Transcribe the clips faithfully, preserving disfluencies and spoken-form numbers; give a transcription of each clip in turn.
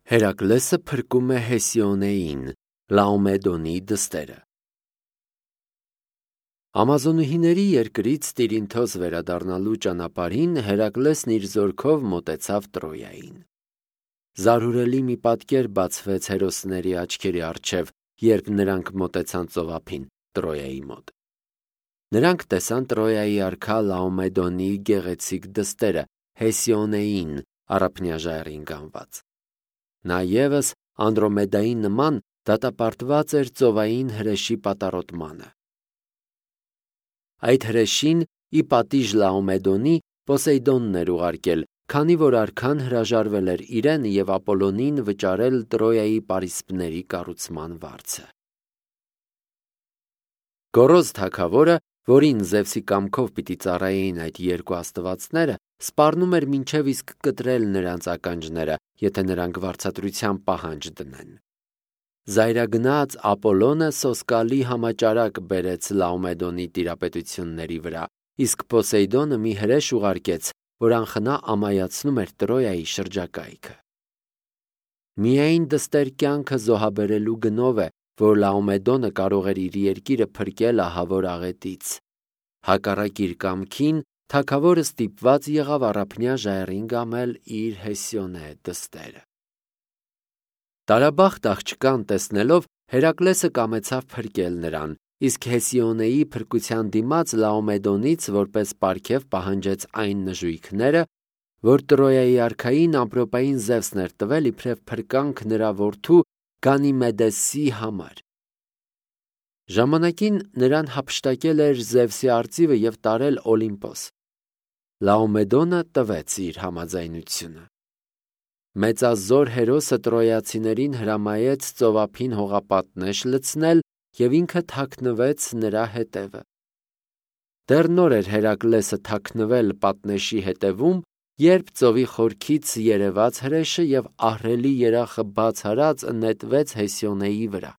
Հերակլեսը փրկում է Հեսիոնեին, Լաոմեդոնի դստերը։ Ամազոնուհիների երկրից Տիրինթոս վերադառնալու ճանապարհին Հերակլեսն իր զորքով մոտեցավ Տրոյային։ Զարհուրելի մի պատկեր բացվեց հերոսների աչքերի առջև, երբ նրանք մոտեցան ծովափին Տրոյայի մոտ։ Նրանք տեսան Տրոյայի արքա Լաոմեդոնի գեղեցիկ դստերը Հեսիոնեին առափնյա ժայռին կանված։ Նա ևս Անդրոմեդայի նման դատապարտված էր ծովային հրեշի պատառոտմանը։ Այդ հրեշին ի պատիժ Լաոմեդոնի Պոսեյդոնն էր ուղարկել, քանի որ արքան հրաժարվել էր իրեն և Ապոլոնին վճարել Տրոյայի պարիսպների կառուցման վարձը։ Գոռոզ թագավորը, որին Զևսի կամքով պիտի ծառայեին այդ երկու աստվածները, սպառնում էր մինչև իսկ կտրել նրանց ականջները, եթե նրանք վարձատրության պահանջ դնեն։ Զայրագնաց Ապոլոնը սոսկալի համաճարակ բերեց Լաոմեդոնի տիրապետությունների վրա, իսկ Պոսեյդոնը մի հրեշ ուղարկեց, որ անխնա ամայացնում էր Տրոյայի շրջակայքը։ Միայն դստեր կյանքը զոհաբերելու գնով է, որ Լաոմեդոնը կարող էր իր երկիրը փրկել ահավոր աղետից։ Հակառակ իր կամքին, թագավորը ստիպված եղավ առափնյա ժայռին գամել իր Հեսիոնե դստերը։ Տարաբախտ աղջկան տեսնելով Հերակլեսը կամեցավ փրկել նրան, իսկ Հեսիոնեի փրկության դիմաց Լաոմեդոնից որպես պարգև պահանջեց այն նժույգները, որ Տրոյայի արքային ամպրոպային Զևսն էր տվել իբրև փրկանք նրա որդու Գանիմեդեսի համար։ Ժամանակին նրան հափշտակել էր Զևսի արծիվը և տարել Օլիմպոս։ Լաոմեդոնը տվեց իր համաձայնությունը։ Մեծազոր հերոսը տրոյացիներին հրամայեց ծովափին հողապատնեշ լցնել և ինքը թաքնվեց նրա հետևը։ Դեռ նոր էր Հերակլեսը թաքնվել պատնեշի հետևում, երբ ծովի խորքից երևաց հրեշը և ահռելի երախը բաց արած նետվեց Հեսիոնեի վրա։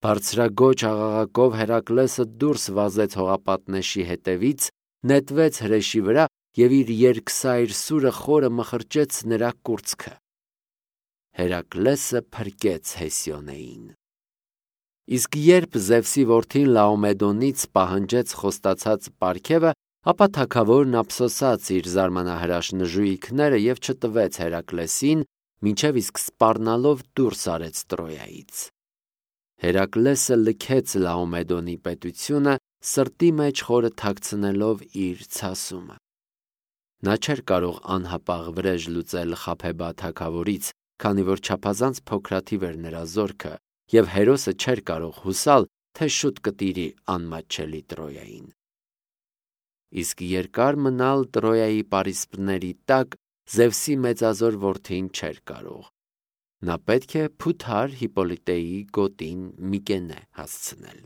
Բարձրաձոչ աղաղակով Հերակլեսը դուրս վազեց հողապատնեշի հետևից, նետվեց հրեշի վրա և իր երկսայր սուրը խորը մխրճեց նրա կուրծքը։ Հերակլեսը փրկեց Հեսիոնեին։ Իսկ երբ Զևսի որդին Լաոմեդոնից պահանջեց խոստացած պարգևը, ապա թագավորն ափսոսաց իր զարմանահրաշ նժույգները և չտվեց Հերակլեսին, մինչև իսկ սպառնալով դուրս արեց Տրոյայից։ Հերակլեսը լքեց Լաոմեդոնի պետությունը, սրտի մեջ խորը թաքցնելով իր ցասումը։ Նա չէր կարող անհապաղ վրեժ լուծել Խաբեբա թագավորից, քանի որ չափազանց փոքրաթիվ էր նրա զորքը, և հերոսը չէր կարող հուսալ, թե շուտ կտիրի անմատչելի Տրոյային։ Իսկ երկար մնալ Տրոյայի պարիսպների տակ Զևսի մեծազոր որդին չէր կարող։ Նա պետք է փութար Հիպպոլիտեի գոտին Միկենե հասցնել։